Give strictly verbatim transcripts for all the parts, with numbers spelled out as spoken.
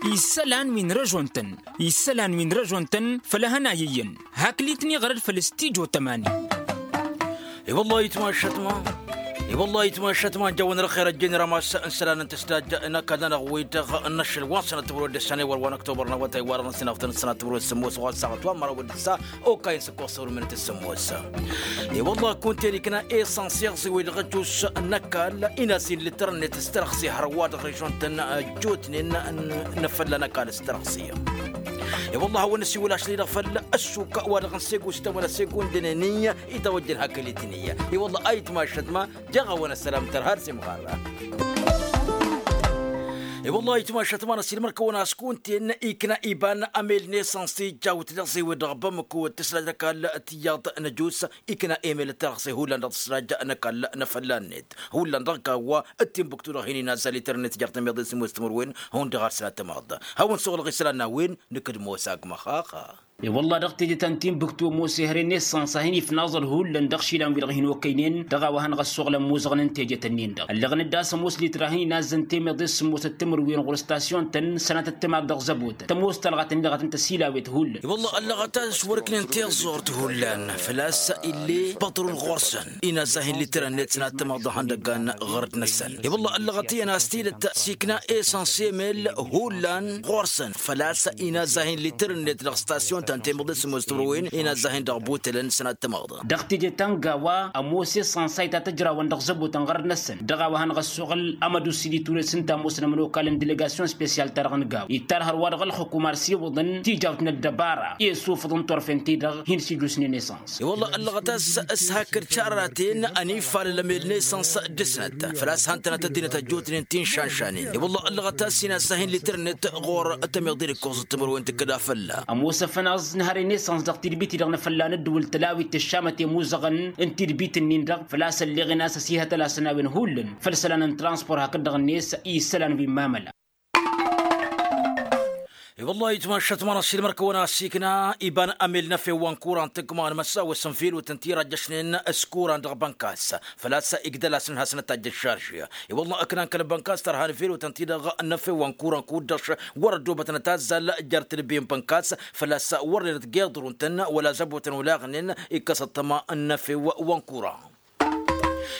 Isălan wi n-răžon-tăn isălan wi n-răžon-tăn făll-ehăn a iyyăn. Hakli-tăn iɣrăd făll-stijo tămani. I-wăllah itmašăt ma i-wăllah itmašăt ma n-jawăn răxer ăjjeen ramas n-isălan n-tǝsdaj n-ăkall-nănăɣ wi-dăɣ n-ašăl wa n-sănăt timǝrwen d-ǝssan i-wăr wa n-ăktobăr n-awătay wa dăɣ-năsinăɣ-tăn ǝssanăt timǝrwen s-sǝmmos ɣur-săɣăt wa n-măraw d-ǝssa. Okayăn s-ǝkkoẓ săwrǝmǝnăt s-sǝmmos. I-wăllah kunta-en ikna esăns iɣẓi-wi-dăɣ ăjjuš n-ăkall inasin lităr-net s-tărăxse hărwa dăɣ-režon-tăn ăjjootnen n-afălla n-ăkall s-tărăxse. I-wăllah a-wen ăsiwǝl ašăl-i-dăɣ făll-ăssuk wa dăɣ-n segu s-itawănna segu n-dăneni itawăjjăn hakăl-i-tăn-i. I-wăllah a itmašăt ma jeɣ-awăn ăssălam tărha d-simɣarra. I-wăllah a itmašăt ma n-ăssiilmăr-kăwăn a-s kunta-en ikna iba n-amel n-esăns ijjawt d-iɣẓi-wi-dăɣ bămăko d-tǝslaj n-ăkall tiyyăḍ n-ăjus. Ikna emel d-tărăɣse hullan dăɣ-tǝslaj n-ăkall n-afălla-net hullan dăɣ-kawwa d-timbuktu-dăɣ hin-inazzal ităr-net jer-tămiḍe s-ămoos timǝrwen. Hundăɣ ad-sănatămaḍ hawăn-suɣǝlăɣ isălan n-a-wen. Nǝkk d-ămoos agmăx axa. I-wălla dăɣ-teje ta n-timbuktu ămoos ehăre n-esăns a hin-ifnaẓăl hullan dăɣ-išilan-wi-dăɣ hin-okăynen dăɣ-a-wa hanăɣ-ăssuɣǝl ămmuẓăɣăn n-tejet-ǝnnin-dăɣ ăllăɣăn-dd a-s ămoos litra a hin-inazzăn temeḍe s-sǝmmosăt timǝrwen ɣur-ăstasyon-tăn sănatăt timaḍ dăɣ-zăbotăn tămoos talɣat-ǝnnin-dăɣ a tăn-tăsilawet hullan. I-wălla ăllăɣăt a-s wăr-ǝknen tiẓẓurt hullan făl-a-s ill'-e păṭrun ɣur-săn inazza hin-litǝr-net sănatăt timaḍ dăɣ-ihăndăggan ɣărăt-năsăn. I-wălla ăllăɣăt iyyăn a-s tidǝt s-ikna esăns emel hullan ɣur-săn făl-a-s inazza hin-litǝr-net dăɣ-stasyon ta n-temăḍe s-ămoos timǝrwen inazza hin-dăɣ butălăn sănatăt timaḍ. Dăɣ-teje ta n-gawa ămoos esăns a itatăjrawăn dăɣ-zăbotăn ɣărăt-năsăn dăɣ-a-wa hanăɣ-ăssuɣǝl amădusi d-iturăs ǝnta ămoosăn ămănokal n-delegasyon spesyal-ta-dăɣ n-gaw ittar hărwa dăɣ-ălxukum ar s-iwǝḍăn tijawt n-ăddăbara i-sufǝḍ n-turfen-ti-dăɣ hin-sijusnen esăns. I-wălla ăllăɣăt a-s s-hakd šarraten ănifalăl ămel n-esăns dăr-snăt făl-a-s han-tănăt ăddinăt ăjjootnen ti n-šanšanen. I-wălla ăllăɣăt a-s inazza hin-litărnet ɣur-tămiḍe d-ǝkkoẓăt timǝrwen tǝkkǝd afălla. Ămoos ăfănaẓ n-hărăy n-esăns dăɣ-tidbit-i-dăɣ n-afălla n-ăddǝwǝl tălawit tǝššamăt i-imuzăɣăn n-tidbit-ǝnnin-dăɣ făl-a-s ălleɣen a-s ăsihătăl asănawen hullan făll-isălan n-transpor hakd-dăɣ-net i-isălan wi n-mamăla. I-wăllah itmašăt ma n-ăssiilmăr-kăwăn a-s ikna iba n-amel n-efew wa n-kuran tǝggma n-măsawăs n-velotăn ti rajjăšnen s-kuran dăɣ-bănkas făl-a-s igdăl-asăn hasăn-ătajj ăššarže. I-wăllah ǝknan kăl-bănkas tărha n-velotăn ti-dăɣ n-efew wa n-kuran kuddăš wăr-ăddobătnăt azzal jer-tǝlbe n-bănkas făl-a-s wăr-nenăt geḍrun-tăn wăla zăbotăn olaɣnen. Ikkăs ăṭṭăma n-efew wa n-kuran.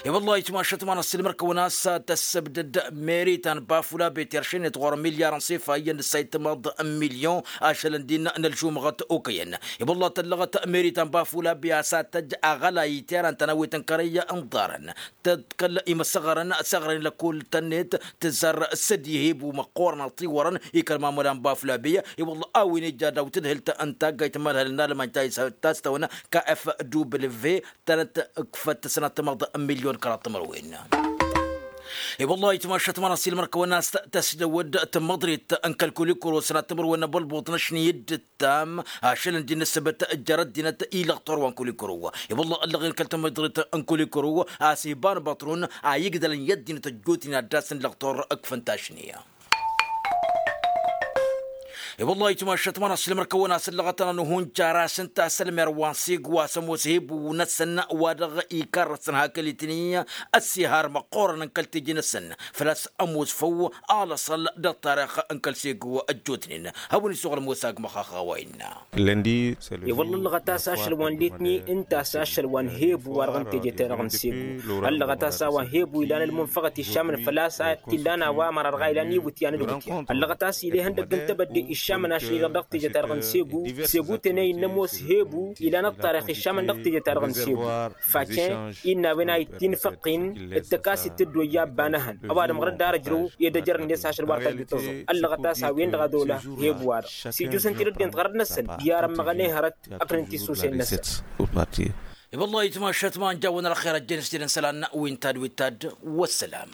I-wăllah itmašăt ma n-ăssiilmăr-kăwăn a-s tăssăbdăd meri ta n-bafulabe teršăynet ɣur-milyar n-sefa iyyăn d-ǝssay tămaḍ n-milyon ašălăn din n-ălžumăɣăt okăyăn. I-wăllah tăllăɣăt meri ta n-bafulabe a-s ad-tăjj aɣălay iterăn tanăwet n-kărăy n-iḍarăn tăḍkăl imăsăɣărăn săɣrăyăn lăkkol-tăn-net tǝzzar s-ăddihebu măqqoorăn ăṭṭiwărăn i-kăl-mamăla n-bafulabe. I-wăllah a-wen ija daw-tǝdhǝlt n-taggayt n-imalhălăn n-almany ta s-tawăn kf w tănăt-ǝkfăt sănat tămaḍ n-milyon kăraḍ timărwen. I-wăllah itmašăt ma n-ăssiilmăr-kăwăn a-s tăsdăwăd tămmăḍrit n-kăl-kulikuro sănat timărwen n-abălbuḍ n-ašni dd-tam ašăl ǝndi n-ǝssǝbăt jer-ăddinăt i-lăɣtor wa n-kulikuro. I-wăllah ăllăɣen kăl-tămmăḍrit n-kulikuro a-s iba n-băṭrun a igdălăn i-ăddinăt ăjjootnen ad-dd-asǝn lăɣtor ǝkfăn tašni. I-wăllah itmašăt ma n-ăssiilmăr-kăwăn a-s ǝllăɣăt-tăn ănuhunjar a-s ǝnta a-s ălmer wa n-segu a-s ămoos hebu-năsăn wa dăɣ-ikarrăsăn hakăl-itni ăssihar măqqoorăn n-kăl-teje-năsăn făl-a-s ămoos făw alăṣăl dăɣ-tarix n-kăl-segu ăjjootnen. Hawăn-isuɣǝl ămoos agmăx a-wa innă. I-wălla ǝllăɣăt a-s ašăl wa n-letni ǝnta a-s ašăl wa n-hebu wa dăɣ-teje-ta-dăɣ n-segu. Ăllăɣăt a-s a-wa n-hebu ilan ălmunfăɣăt išamăn făl-a-s a t-illan a-wa măra dăɣ-a ilan iwǝtyan d-iwǝtyan ăllăɣăt a-s ila ihăndăgg n-tebădde išamăn ašăl-i-dăɣ dăɣ-teje-ta-dăɣ n-segu. Segu tenăy n-ămoos hebu ilan ăṭṭarix išamăn dăɣ-teje-ta-dăɣ n-segu. Faten innă a-wen a ittinfăqqin d-tăkasit tǝddoyya ăbba n-ehăn ăwadǝm ɣur-dd ar ǝjrǝw i-dd-ăjrănen dăɣ-s ašăl wa n-tajjǝt tăẓẓu. Ăllăɣăt a-s a-wen-dăɣ a dola hebu-wa-dăɣ s-ijjusăn tidăddent ɣărăt-năsăn. Iyarăn măɣănehărăt ăknăn tisusen-năsăn. I-wăllah itmašăt ma n-jawăn ălxer ăjjeen s-tidăn isălan wi n-tadd wi n-tadd. Wăssălam.